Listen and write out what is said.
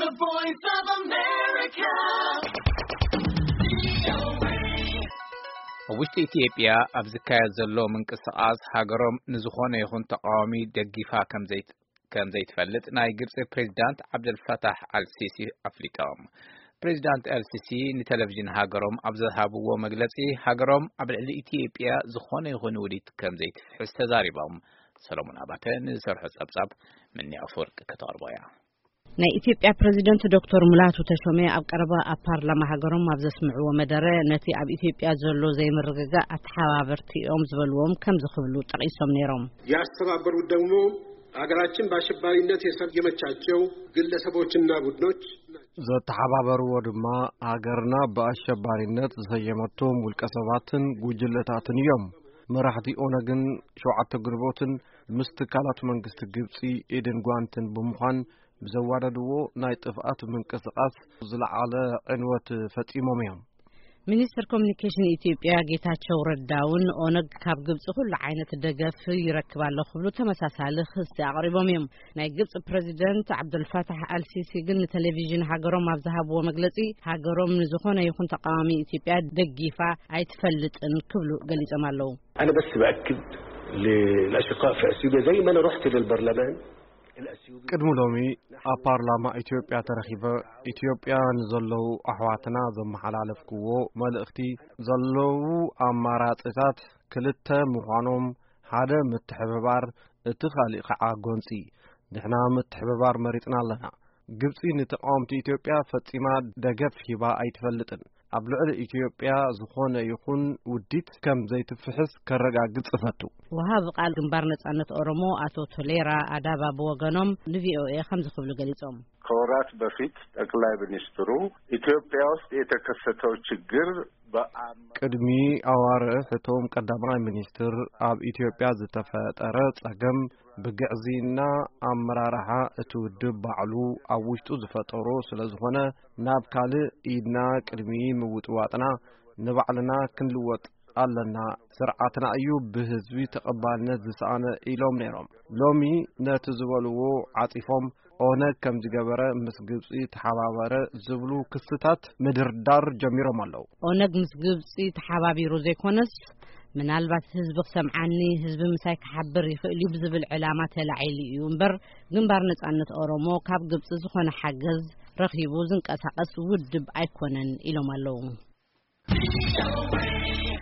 The Voice of America. ኣብ ውሽጢ ኢትዮጵያ ኣብ ዝካየድ ዘሎ ምንቅስቓስ ሃገሮም ንዝኾነ ይኹን ተቃዋሚ ደጊፋ ከም ዘይት-፣ ከም ዘይትፈልጥ ናይ ግብፂ ፕሬዚዳንት ዓብደልፈታሕ ኣልሲሲ ኣፍሊጦም። ፕሬዚዳንት ኣልሲሲ ንቴሌቪዥን ሃገሮም ኣብ ዝሃብዎ መግለፂ፣ ሃገሮም ኣብ ልዕሊ ኢትዮጵያ ዝኾነ ይኹን ውዲት ከም ዘይትፍሕስ ተዛሪቦም። ሰሎሞን ኣባተ ንዝሰርሖ ጸብጻብ ምንያ ኣፈወርቂ ከተቕርቦ እያ። ናይ ኢትዮጵያ ፕሬዚደንት ዶክተር ሙላቱ ተሾመ ኣብ ቀረባ ኣብ ፓርላማ ሃገሮም ኣብ ዘስምዕዎ መደረ፣ ነቲ ኣብ ኢትዮጵያ ዘሎ ዘይምርግጋእ ኣተሓባበርቲ እዮም ዝበልዎም ከምዚ ክብሉ ጠቒሶም ነይሮም። ያስተባበሩት ደግሞ ሀገራችን በአሸባሪነት የሰየመቻቸው ግለሰቦችና ቡድኖች ናቸው። ዘተሓባበርዎ ድማ ሃገርና ብኣሸባሪነት ዝሰየመቶም ውልቀ ሰባትን ጉጅለታትን እዮም። መራሕቲ ኦነግን ሸውዓተ ግንቦትን ምስ ትካላት መንግስቲ ግብፂ ኢድን ጓንትን ብምዃን ብዘዋደድዎ ናይ ጥፍኣት ምንቅስቓስ ዝለዓለ ዕንወት ፈፂሞም እዮም። ሚኒስትር ኮሚኒኬሽን ኢትዮጵያ ጌታቸው ረዳ እውን ኦነግ ካብ ግብፂ ኩሉ ዓይነት ደገፍ ይረክብ ኣሎ ክብሉ ተመሳሳሊ ክሲ ኣቕሪቦም እዮም። ናይ ግብፂ ፕሬዚደንት ዓብዱልፋታሕ ኣልሲሲ ግን ንቴሌቪዥን ሃገሮም ኣብ ዝሃብዎ መግለፂ፣ ሃገሮም ንዝኾነ ይኹን ተቃዋሚ ኢትዮጵያ ደጊፋ ኣይትፈልጥን ክብሉ ገሊጾም ኣለዉ። أنا بس بأكد للأشقاء في أثيوبيا، زي ما أنا رحت للبرلمان الأثيوبي. ቅድሚ ሎሚ ኣብ ፓርላማ ኢትዮጵያ ተረኺበ፣ ኢትዮጵያ ንዘለዉ ኣሕዋትና ዘመሓላለፍክዎ መልእኽቲ፣ ዘለዉ ኣማራጺታት ክልተ ምዃኖም፣ ሓደ ምትሕብባር፣ እቲ ካልእ ከዓ ጎንፂ። ንሕና ምትሕብባር መሪፅና ኣለና። ግብፂ ንተቃወምቲ ኢትዮጵያ ፈፂማ ደገፍ ሂባ ኣይትፈልጥን። ኣብ ልዕሊ ኢትዮጵያ ዝኾነ ይኹን ውዲት ከም ዘይትፍሕስ ከረጋግፅ እፈቱ። ወሃቢ ቃል ግንባር ነጻነት ኦሮሞ ኣቶ ቶሌራ ኣዳባ ብወገኖም ንቪኦኤ ከምዚ ክብሉ ገሊጾም። ከወራት በፊት ጠቅላይ ሚኒስትሩ ኢትዮጵያ ውስጥ የተከሰተው ችግር በአም- ቅድሚ ኣዋርሕ እቶም ቀዳማይ ሚኒስትር ኣብ ኢትዮጵያ ዝተፈጠረ ጸገም ብግዕዝይና ኣመራርሓ እቲ ውድብ ባዕሉ ኣብ ውሽጡ ዝፈጠሮ ስለ ዝኾነ፣ ናብ ካልእ ኢድና ቅድሚ ምውጥዋጥና ንባዕልና ክንልወጥ ኣለና። ስርዓትና እዩ ብህዝቢ ተቐባልነት ዝሰኣነ ኢሎም ነይሮም። ሎሚ ነቲ ዝበልዎ ዓጺፎም፣ ኦነግ ከም ዝገበረ ምስ ግብጺ ተሓባበረ ዝብሉ ክስታት ምድርዳር ጀሚሮም ኣለዉ። ኦነግ ምስ ግብጺ ተሓባቢሩ ዘይኮነስ፣ ምናልባት ህዝቢ ክሰምዓኒ፣ ህዝቢ ምሳይ ክሓብር ይኽእል እዩ ብዝብል ዕላማ ተላዒሉ እዩ እምበር፣ ግንባር ነጻነት ኦሮሞ ካብ ግብጺ ዝኾነ ሓገዝ ረኺቡ ዝንቀሳቐስ ውድብ ኣይኮነን ኢሎም ኣለዉ።